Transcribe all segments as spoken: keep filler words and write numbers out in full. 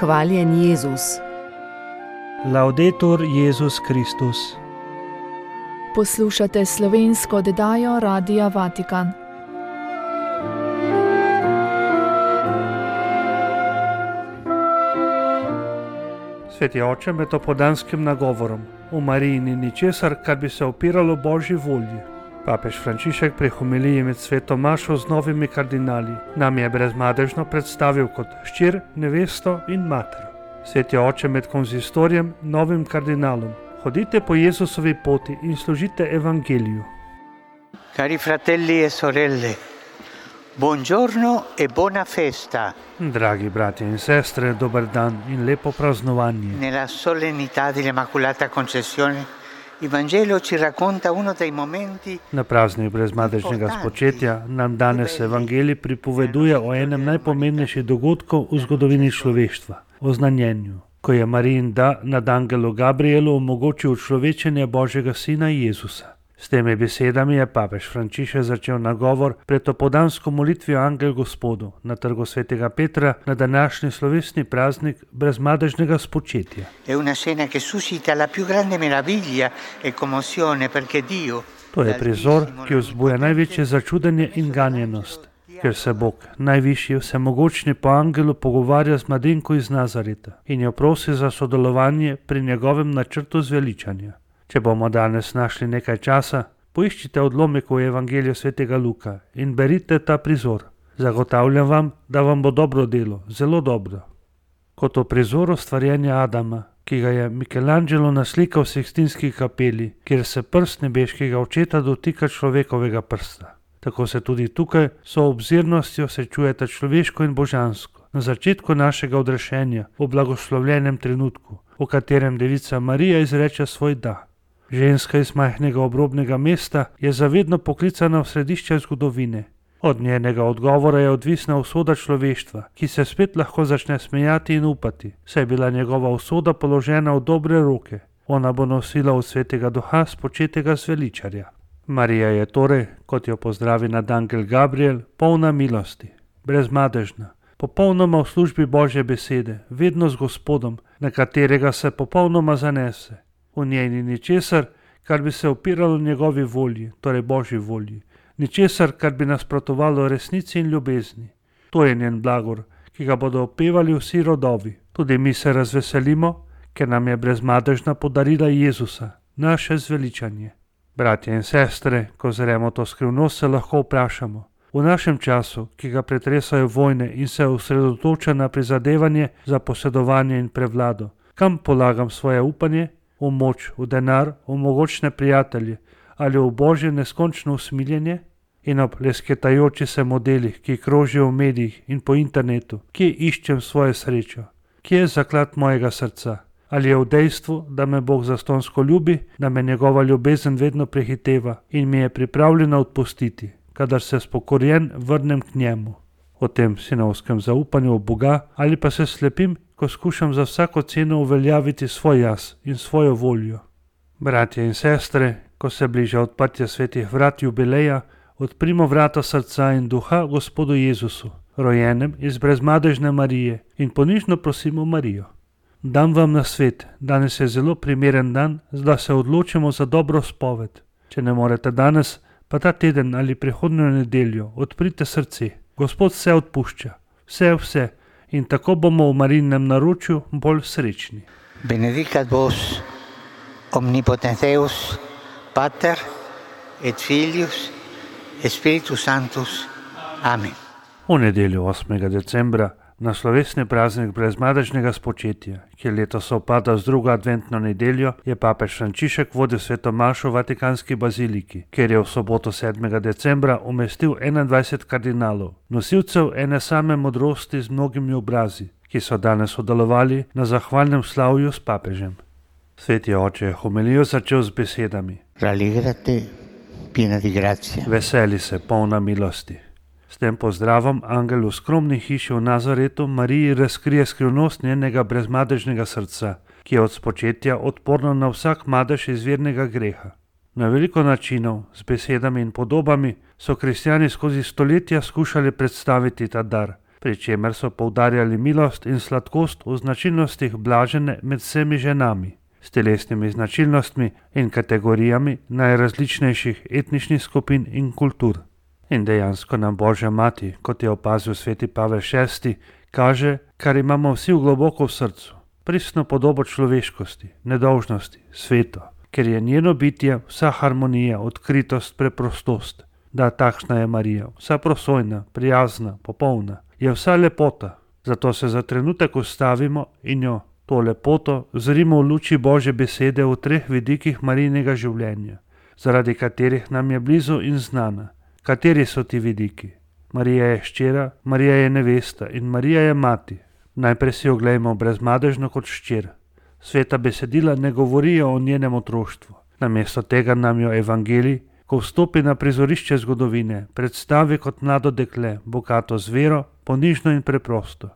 Hvaljen Jezus. Laudetur Jezus Kristus. Poslušate slovensko oddajo Radia Vatikan. Sveti oče med opoldanskim nagovorom o Mariji ni ničesar, kar bi se opiralo Božji volji. Papež Frančišek pri homiliji med sveto mašo z novimi kardinali nam je brezmadežno predstavil kot hčer, nevesto in mater. Sveti oče med konzistorijem, novim kardinalom: hodite po Jezusovi poti in služite evangeliju. Cari fratelli e sorelle, buongiorno e buona festa. Dragi bratje in sestre, dober dan in lepo praznovanje. Nella solennità dell'Immacolata Concezione, il Vangelo ci racconta uno dei momenti. Na praznik brezmadežnega spočetja nam danes evangelij pripoveduje o enem najpomembnejših dogodkov v zgodovini človeštva, o znanjenju, ko je Marijin da nad angelu Gabrielu omogočil človečenje Božjega sina Jezusa. S temi besedami je papež Frančišek začel nagovor pred opoldansko molitvijo Angel Gospodu na trgu svetega Petra na današnji slovesni praznik brezmadežnega spočetja. È una scena che suscita la più grande meraviglia e commozione perché Dio. To je prizor, ki vzbuja največje začudenje in ganjenost, ker se Bog, najvišji vsemogočni po angelu, pogovarja z mladenko iz Nazareta in jo prosi za sodelovanje pri njegovem načrtu zveličanja. Če bomo danes našli nekaj časa, poiščite odlomek v Evangeliju svetega Luka in berite ta prizor. Zagotavljam vam, da vam bo dobro delo, zelo dobro. Kot v prizoru stvarjenja Adama, ki ga je Michelangelo naslikal v Sikstinski kapeli, kjer se prst nebeškega očeta dotika človekovega prsta. Tako se tudi tukaj so obzirnostjo srečujeta človeško in božansko, na začetku našega odrešenja, v blagoslovljenem trenutku, v katerem devica Marija izreče svoj da. Ženska iz majhnega obrobnega mesta je zavedno poklicana v središče zgodovine. Od njenega odgovora je odvisna usoda človeštva, ki se spet lahko začne smejati in upati, saj je bila njegova usoda položena v dobre roke. Ona bo nosila od svetega duha spočetega zveličarja. Marija je torej, kot jo pozdravi nad angel Gabriel, polna milosti, brezmadežna, popolnoma v službi Božje besede, vedno z Gospodom, na katerega se popolnoma zanese. V njej ni ničesar, kar bi se opiralo njegovi volji, torej Božji volji, ničesar, kar bi nasprotovalo resnici in ljubezni. To je njen blagor, ki ga bodo opevali vsi rodovi. Tudi mi se razveselimo, ker nam je brezmadežna podarila Jezusa, naše zveličanje. Bratje in sestre, ko zremo to skrivnost, se lahko vprašamo: v našem času, ki ga pretresajo vojne in se osredotoča na prizadevanje za posedovanje in prevlado, kam polagam svoje upanje? V moč, v denar, v mogočne prijatelje ali v Božje neskončno usmiljenje? In ob lesketajoči se modelih, ki krožijo v medijih in po internetu, kje iščem svojo srečo? Kje je zaklad mojega srca? Ali je v dejstvu, da me Bog zastonsko ljubi, da me njegova ljubezen vedno prehiteva in mi je pripravljena odpustiti, kadar se spokorjen vrnem k njemu? O tem sinovskem zaupanju v Boga ali pa se slepim, ko skušam za vsako ceno uveljaviti svoj jaz in svojo voljo. Bratje in sestre, ko se bliža odprtje svetih vrat jubileja, odprimo vrata srca in duha Gospodu Jezusu, rojenem iz brezmadežne Marije, in ponižno prosimo Marijo. Dam vam na svet, danes je zelo primeren dan, da se odločimo za dobro spoved. Če ne morete danes, pa ta teden ali prihodnjo nedeljo, odprite srce. Gospod vse odpušča, vse vse, in tako bomo v Marijinem naročju bolj srečni. Benedicat vos omnipotens Deus, Pater et Filius et Spiritus Sanctus. Amen. V nedeljo osmega decembra, na slovesni praznik brezmadežnega spočetja, ki letos sovpada z drugo adventno nedeljo, je papež Frančišek vodil sveto mašo v Vatikanski baziliki, kjer je v soboto sedmega decembra umestil enaindvajset kardinalov, nosilcev ene same modrosti z mnogimi obrazi, ki so danes sodelovali na zahvalnem slavju s papežem. Sveti oče je homilijo začel z besedami: Rallegrate, piena di grazia. Veseli se, polna milosti. S tem pozdravom angel v skromni hiši v Nazaretu Mariji razkrije skrivnost njenega brezmadežnega srca, ki je od spočetja odporno na vsak madež izvirnega greha. Na veliko načinov, z besedami in podobami, so kristjani skozi stoletja skušali predstaviti ta dar, pri čemer so poudarjali milost in sladkost v značilnostih blažene med vsemi ženami, s telesnimi značilnostmi in kategorijami najrazličnejših etničnih skupin in kultur. In dejansko nam Božja mati, kot je opazil sveti Pavel šesti, kaže, kar imamo vsi v globoko v srcu, pristno podobo človeškosti, nedolžnosti, sveto, ker je njeno bitje vsa harmonija, odkritost, preprostost. Da, takšna je Marija, vsa prosojna, prijazna, popolna, je vsa lepota. Zato se za trenutek ustavimo in jo, to lepoto, zrimo v luči Božje besede v treh vidikih Marijinega življenja, zaradi katerih nam je blizu in znana. Kateri so ti vidiki? Marija je hčera, Marija je nevesta in Marija je mati. Najprej si oglejmo brezmadežno kot hčer. Sveta besedila ne govorijo o njenem otroštvu. Namesto tega nam jo evangelij, ko vstopi na prizorišče zgodovine, predstavi kot mlado dekle, bogato z vero, ponižno in preprosto.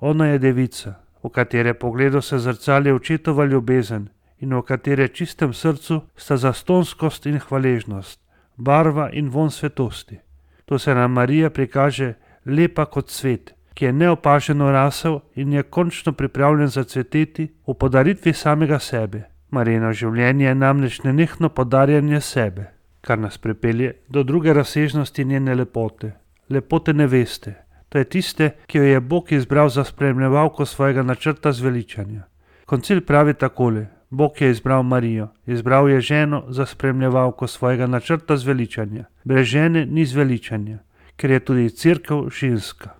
Ona je devica, v katere pogledu se zrcali očetova ljubezen in v katere čistem srcu sta zastonskost in hvaležnost, barva in von svetosti. To se nam Marija prikaže lepa kot cvet, ki je neopaženo rasel in je končno pripravljen zacveteti v podaritvi samega sebe. Marijino življenje je namreč nenehno podarjanje sebe, kar nas pripelje do druge razsežnosti njene lepote, lepote neveste. To je tiste, ki jo je Bog izbral za spremljevalko svojega načrta zveličanja. Koncil pravi takole: Bog je izbral Marijo, izbral je ženo za spremljevalko svojega načrta zveličanja. Brez žene ni zveličanja, ker je tudi cerkev ženska.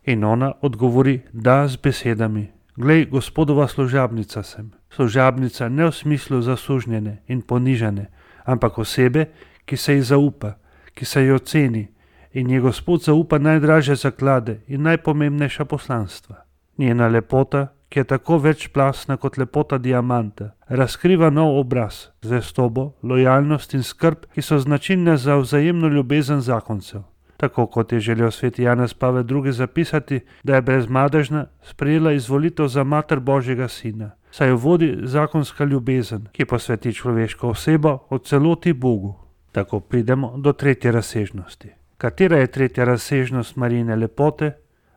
In ona odgovori da z besedami: Glej, Gospodova služabnica sem. Služabnica ne v smislu zasužnjene in ponižane, ampak osebe, ki se ji zaupa, ki se jo ceni in ji Gospod zaupa najdražje zaklade in najpomembnejša poslanstva. Njena lepota, ki je tako večplastna kot lepota diamanta, razkriva nov obraz, zvestobo, lojalnost in skrb, ki so značilne za vzajemno ljubezen zakoncev. Tako kot je želel sveti Janez Pavel drugi. zapisati, da je brezmadežna sprejela izvolitev za mater Božjega sina, saj jo vodi zakonska ljubezen, ki posveti človeško osebo v celoti Bogu. Tako pridemo do tretje razsežnosti. Katera je tretja razsežnost Marijine lepote?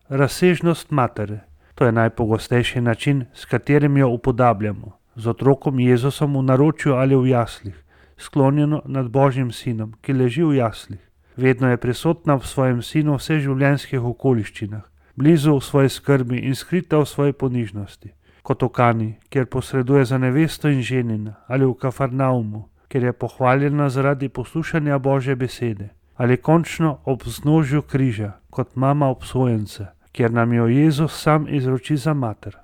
Razsežnost matere. To je najpogostejši način, s katerim jo upodabljamo. Z otrokom Jezusom v naročju ali v jaslih, sklonjeno nad Božjim sinom, ki leži v jaslih. Vedno je prisotna v svojem sinu v vseh življenjskih okoliščinah, blizu v svoji skrbi in skrita v svoji ponižnosti. Kot v Kani, kjer posreduje za nevesto in ženina, ali v Kafarnaumu, kjer je pohvaljena zaradi poslušanja Božje besede, ali končno ob vznožju križa, kot mama obsojenca, kjer nam jo Jezus sam izroči za mater.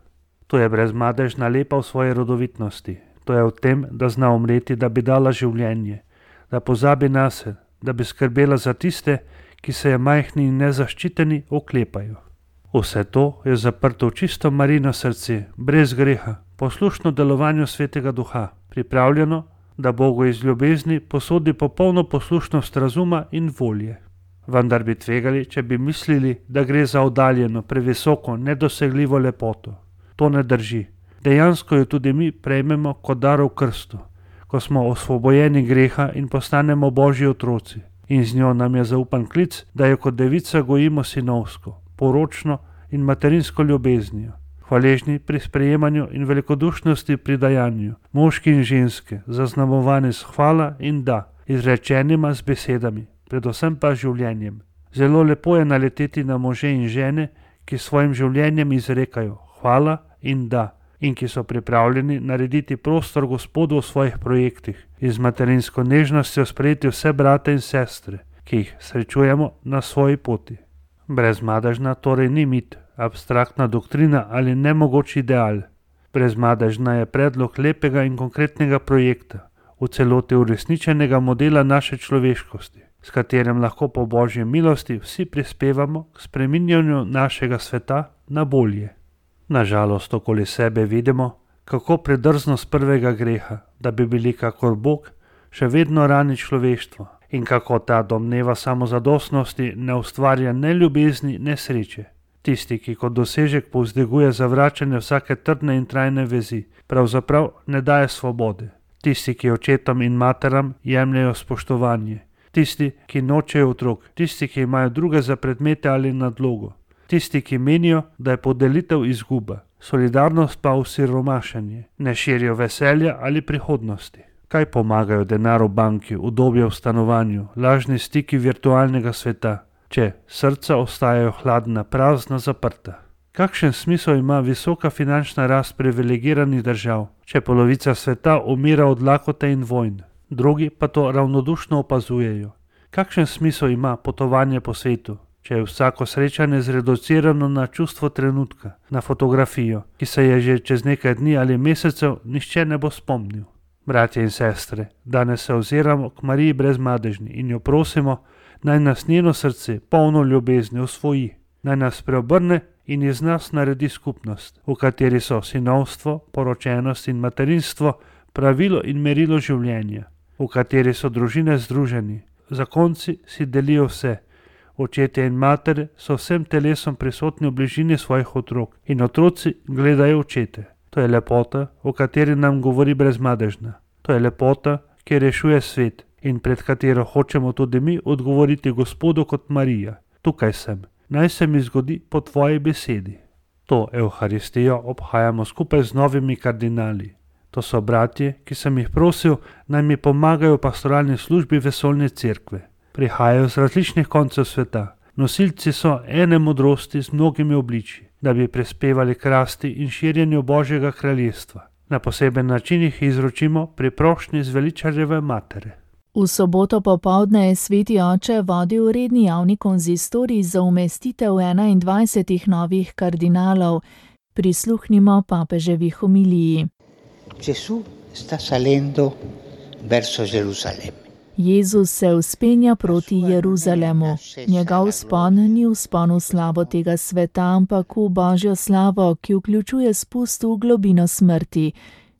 To je brezmadežna lepa v svoji rodovitnosti. To je v tem, da zna umreti, da bi dala življenje, da pozabi nase, da bi skrbela za tiste, ki se je majhni in nezaščiteni oklepajo. Vse to je zaprto v čisto Marijino srce, brez greha, poslušno delovanju Svetega Duha, pripravljeno, da Bogu iz ljubezni posodi popolno poslušnost razuma in volje. Vendar bi tvegali, če bi mislili, da gre za oddaljeno, previsoko, nedosegljivo lepoto. To ne drži. Dejansko jo tudi mi prejmemo kot dar v krstu, ko smo osvobojeni greha in postanemo Božji otroci. In z njo nam je zaupan klic, da jo kot devica gojimo sinovsko, poročno in materinsko ljubeznijo, hvaležni pri sprejemanju in velikodušnosti pri dajanju, moški in ženske, zaznamovani s hvala in da, izrečenima z besedami, predvsem pa življenjem. Zelo lepo je naleteti na može in žene, ki svojim življenjem izrekajo hvala in da, in ki so pripravljeni narediti prostor Gospodu v svojih projektih in z materinsko nežnostjo sprejeti vse brate in sestre, ki jih srečujemo na svoji poti. Brezmadežna torej ni mit, abstraktna doktrina ali nemogoč ideal. Brezmadežna je predlog lepega in konkretnega projekta, v celoti uresničenega modela naše človeškosti, s katerim lahko po Božji milosti vsi prispevamo k spreminjanju našega sveta na bolje. Nažalost okoli sebe vidimo, kako predrznost prvega greha, da bi bili kakor Bog, še vedno rani človeštvo in kako ta domneva samozadostnosti ne ustvarja ne ljubezni, ne sreče. Tisti, ki kot dosežek povzdiguje zavračanje vsake trdne in trajne vezi, pravzaprav ne daje svobode. Tisti, ki očetom in materam jemljejo spoštovanje. Tisti, ki nočejo otrok. Tisti, ki imajo druge za predmete ali nadlogo. Tisti, ki menijo, da je podelitev izguba, solidarnost pa osiromašenje, ne širijo veselja ali prihodnosti. Kaj pomagajo denar v banki, udobje v stanovanju, lažni stiki virtualnega sveta, če srca ostajajo hladna, prazna, zaprta? Kakšen smisel ima visoka finančna rast privilegiranih držav, če polovica sveta umira od lakote in vojn, drugi pa to ravnodušno opazujejo? Kakšen smisel ima potovanje po svetu, če je vsako srečanje zreducirano na čustvo trenutka, na fotografijo, ki se je že čez nekaj dni ali mesecev nihče ne bo spomnil? Bratje in sestre, danes se oziramo k Mariji brezmadežni in jo prosimo, naj nas njeno srce polno ljubezni osvoji, naj nas preobrne in iz nas naredi skupnost, v kateri so sinovstvo, poročenost in materinstvo pravilo in merilo življenja, v kateri so družine združeni, zakonci si delijo vse, očetje in matere so vsem telesom prisotni v bližini svojih otrok in otroci gledajo očete. To je lepota, o kateri nam govori brezmadežna. To je lepota, ki rešuje svet in pred katero hočemo tudi mi odgovoriti Gospodu kot Marija. Tukaj sem, naj se mi zgodi po tvoji besedi. To Evharistijo obhajamo skupaj z novimi kardinali. To so bratje, ki sem jih prosil, naj mi pomagajo v pastoralni službi vesoljne cerkve. Prihajajo z različnih koncev sveta. Nosilci so ene modrosti z mnogimi obličji, da bi prispevali k rasti in širjenju Božjega kraljestva. Na poseben način jih izročimo pri prošnji zveličarjeve matere. V soboto popoldne je sveti oče vodil redni javni konzistorij za umestitev enaindvajsetih novih kardinalov. Prisluhnimo papeževi homiliji. Gesù sta salendo verso Gerusalemme. Jezus se vzpenja proti Jeruzalemu. Njegov vzpon ni vzpon v slavo tega sveta, ampak v Božjo slavo, ki vključuje spust v globino smrti.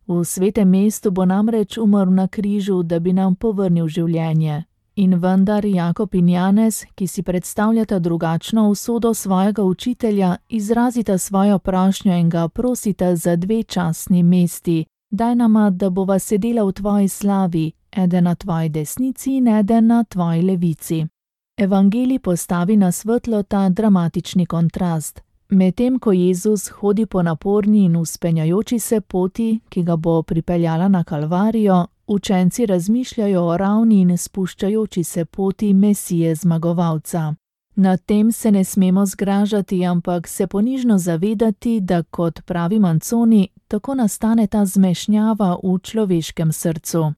V svetem mestu bo namreč umrl na križu, da bi nam povrnil življenje. In vendar Jakob in Janez, ki si predstavljata drugačno usodo svojega učitelja, izrazita svojo prošnjo in ga prosita za dve častni mesti. Daj nama, da bova sedela v tvoji slavi, eden na tvoji desnici in eden na tvoji levici. Evangelij postavi na svetlo ta dramatični kontrast. Medtem ko Jezus hodi po naporni in vzpenjajoči se poti, ki ga bo pripeljala na Kalvarijo, učenci razmišljajo o ravni in spuščajoči se poti Mesije zmagovalca. Nad tem se ne smemo zgražati, ampak se ponižno zavedati, da kot pravi Manconi, tako nastane ta zmešnjava v človeškem srcu.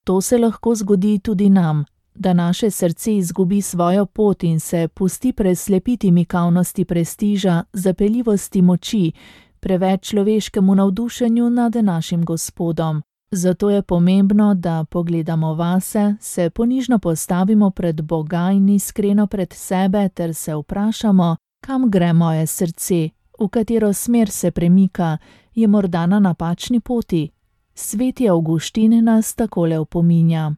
To se lahko zgodi tudi nam, da naše srce izgubi svojo pot in se pusti preslepiti mikavnosti prestiža, zapeljivosti moči, preveč človeškemu navdušenju nad našim Gospodom. Zato je pomembno, da pogledamo vase, se ponižno postavimo pred Boga in iskreno pred sebe ter se vprašamo, kam gre moje srce, v katero smer se premika, je morda na napačni poti. Sveti Avguštin nas takole opominja.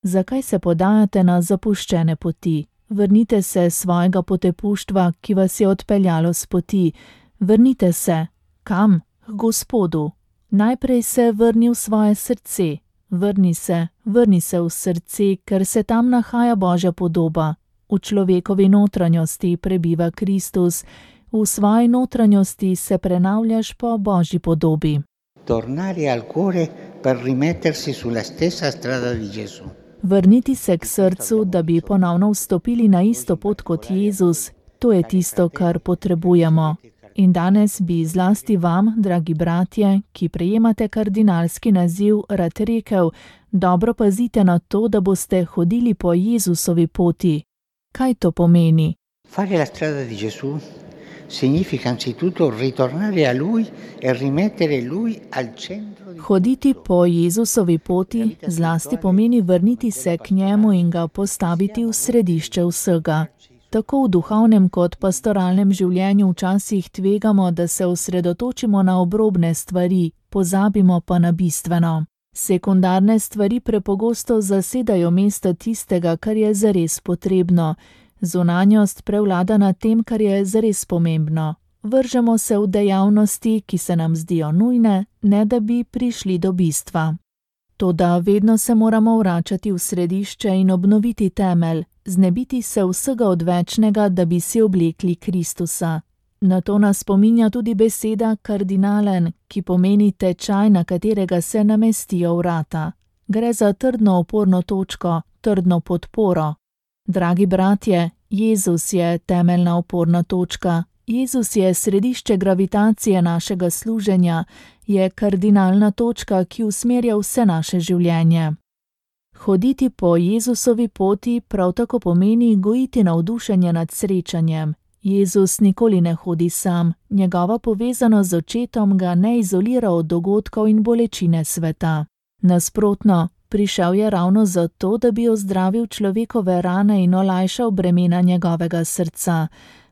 Zakaj se podajate na zapuščene poti? Vrnite se svojega potepuštva, ki vas je odpeljalo s poti. Vrnite se. Kam? K Gospodu. Najprej se vrni v svoje srce. Vrni se, vrni se v srce, ker se tam nahaja Božja podoba. V človekovi notranjosti prebiva Kristus. V svoji notranjosti se prenavljaš po Božji podobi. Tornare al cuore per rimettersi sulla stessa strada di Gesù. Vrniti se k srcu, da bi ponovno vstopili na isto pot kot Jezus, to je tisto, kar potrebujemo. In danes bi zlasti vam, dragi bratje, ki prejemate kardinalski naziv, rad rekel, dobro pazite na to, da boste hodili po Jezusovi poti. Kaj to pomeni? Fare la strada di Gesù significa anzitutto ritornare a Lui e rimettere Lui al centro. Hoditi po Jezusovi poti zlasti pomeni vrniti se k njemu in ga postaviti v središče vsega. Tako v duhovnem kot pastoralnem življenju včasih tvegamo, da se osredotočimo na obrobne stvari, pozabimo pa na bistveno. Sekundarne stvari prepogosto zasedajo mesto tistega, kar je zares potrebno. Zunanjost prevlada nad tem, kar je zares pomembno. Vržemo se v dejavnosti, ki se nam zdijo nujne, ne da bi prišli do bistva. Toda vedno se moramo vračati v središče in obnoviti temelj, znebiti se vsega odvečnega, da bi si oblekli Kristusa. Na to nas spominja tudi beseda kardinalen, ki pomeni tečaj, na katerega se namestijo vrata. Gre za trdno oporno točko, trdno podporo. Dragi bratje, Jezus je temeljna oporna točka. Jezus je središče gravitacije našega služenja, je kardinalna točka, ki usmerja vse naše življenje. Hoditi po Jezusovi poti prav tako pomeni gojiti navdušenje nad srečanjem. Jezus nikoli ne hodi sam, njegova povezanost z očetom ga ne izolira od dogodkov in bolečine sveta. Nasprotno, prišel je ravno zato, da bi ozdravil človekove rane in olajšal bremena njegovega srca,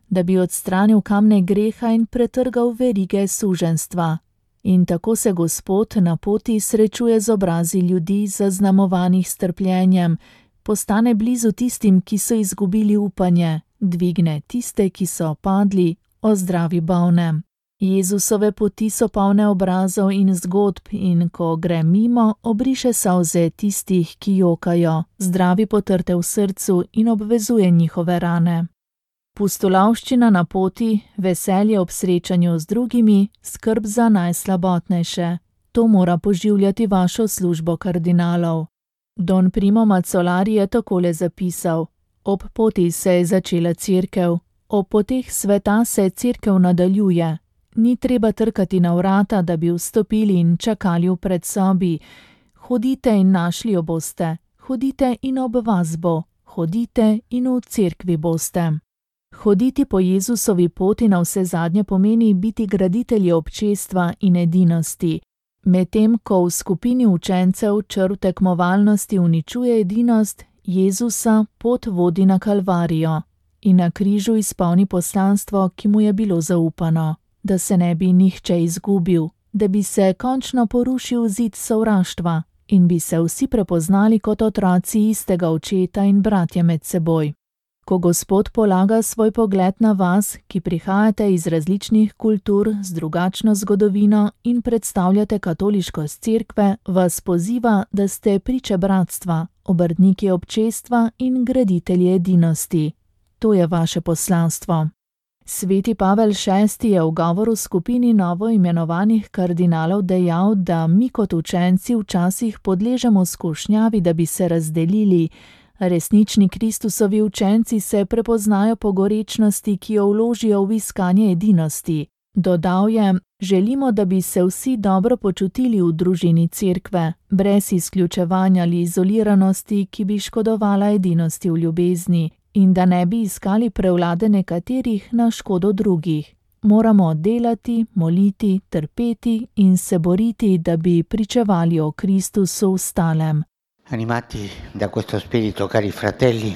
da bi odstranil kamne greha in pretrgal verige suženjstva. In tako se Gospod na poti srečuje z obrazi ljudi, zaznamovanih s trpljenjem, postane blizu tistim, ki so izgubili upanje, dvigne tiste, ki so padli, ozdravi bolne. Jezusove poti so polne obrazov in zgodb in ko gre mimo, obriše solze tistih, ki jokajo, zdravi potrte v srcu in obvezuje njihove rane. Pustolovščina na poti, veselje ob srečanju z drugimi, skrb za najslabotnejše. To mora poživljati vašo službo kardinalov. Don Primo Mazzolari je takole zapisal: ob poti se je začela cerkev, ob poteh sveta se cerkev nadaljuje. Ni treba trkati na vrata, da bi vstopili in čakali v predsobi. Hodite in našli jo boste, hodite in ob vas bo, hodite in v cerkvi boste. Hoditi po Jezusovi poti navsezadnje pomeni biti graditelji občestva in edinosti. Medtem ko v skupini učencev črv tekmovalnosti uničuje edinost, Jezusa pot vodi na Kalvarijo in na križu izpolni poslanstvo, ki mu je bilo zaupano, da se ne bi nihče izgubil, da bi se končno porušil zid sovraštva in bi se vsi prepoznali kot otroci istega očeta in bratje med seboj. Ko Gospod polaga svoj pogled na vas, ki prihajate iz različnih kultur z drugačno zgodovino in predstavljate katoliškost cerkve, vas poziva, da ste priče bratstva, obrtniki občestva in graditelji edinosti. To je vaše poslanstvo. Sveti Pavel šesti je v govoru skupini novo imenovanih kardinalov dejal, da mi kot učenci včasih podležemo skušnjavi, da bi se razdelili. Resnični Kristusovi učenci se prepoznajo po gorečnosti, ki jo vložijo v iskanje edinosti. Dodal je: želimo, da bi se vsi dobro počutili v družini cerkve, brez izključevanja ali izoliranosti, ki bi škodovala edinosti v ljubezni, in da ne bi iskali prevlade nekaterih na škodo drugih. Moramo delati, moliti, trpeti in se boriti, da bi pričevali o Kristusu ostalem. Animati da questo spirito, cari fratelli,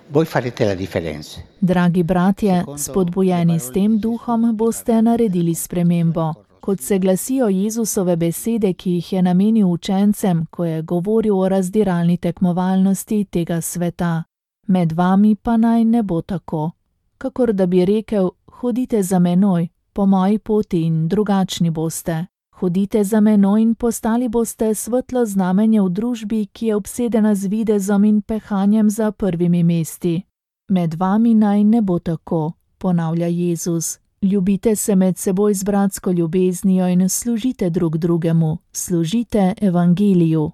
voi farete la differenza. Dragi bratje, spodbujeni s tem duhom, boste naredili spremembo. Kot se glasijo Jezusove besede, ki jih je namenil učencem, ko je govoril o razdiralni tekmovalnosti tega sveta. Med vami pa naj ne bo tako. Kakor da bi rekel: hodite za menoj, po moji poti in drugačni boste. Hodite za menoj in postali boste svetlo znamenje v družbi, ki je obsedena z videzom in pehanjem za prvimi mesti. Med vami naj ne bo tako, ponavlja Jezus. Ljubite se med seboj z bratsko ljubeznijo in služite drug drugemu, služite evangeliju.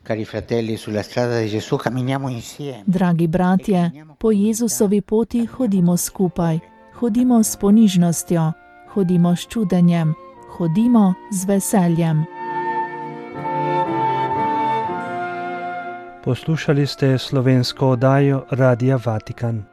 Cari fratelli, sulla strada di Gesù camminiamo insieme. Dragi bratje, po Jezusovi poti hodimo skupaj, hodimo s ponižnostjo, hodimo s čudenjem, hodimo z veseljem. Poslušali ste slovensko oddajo Radia Vatikan.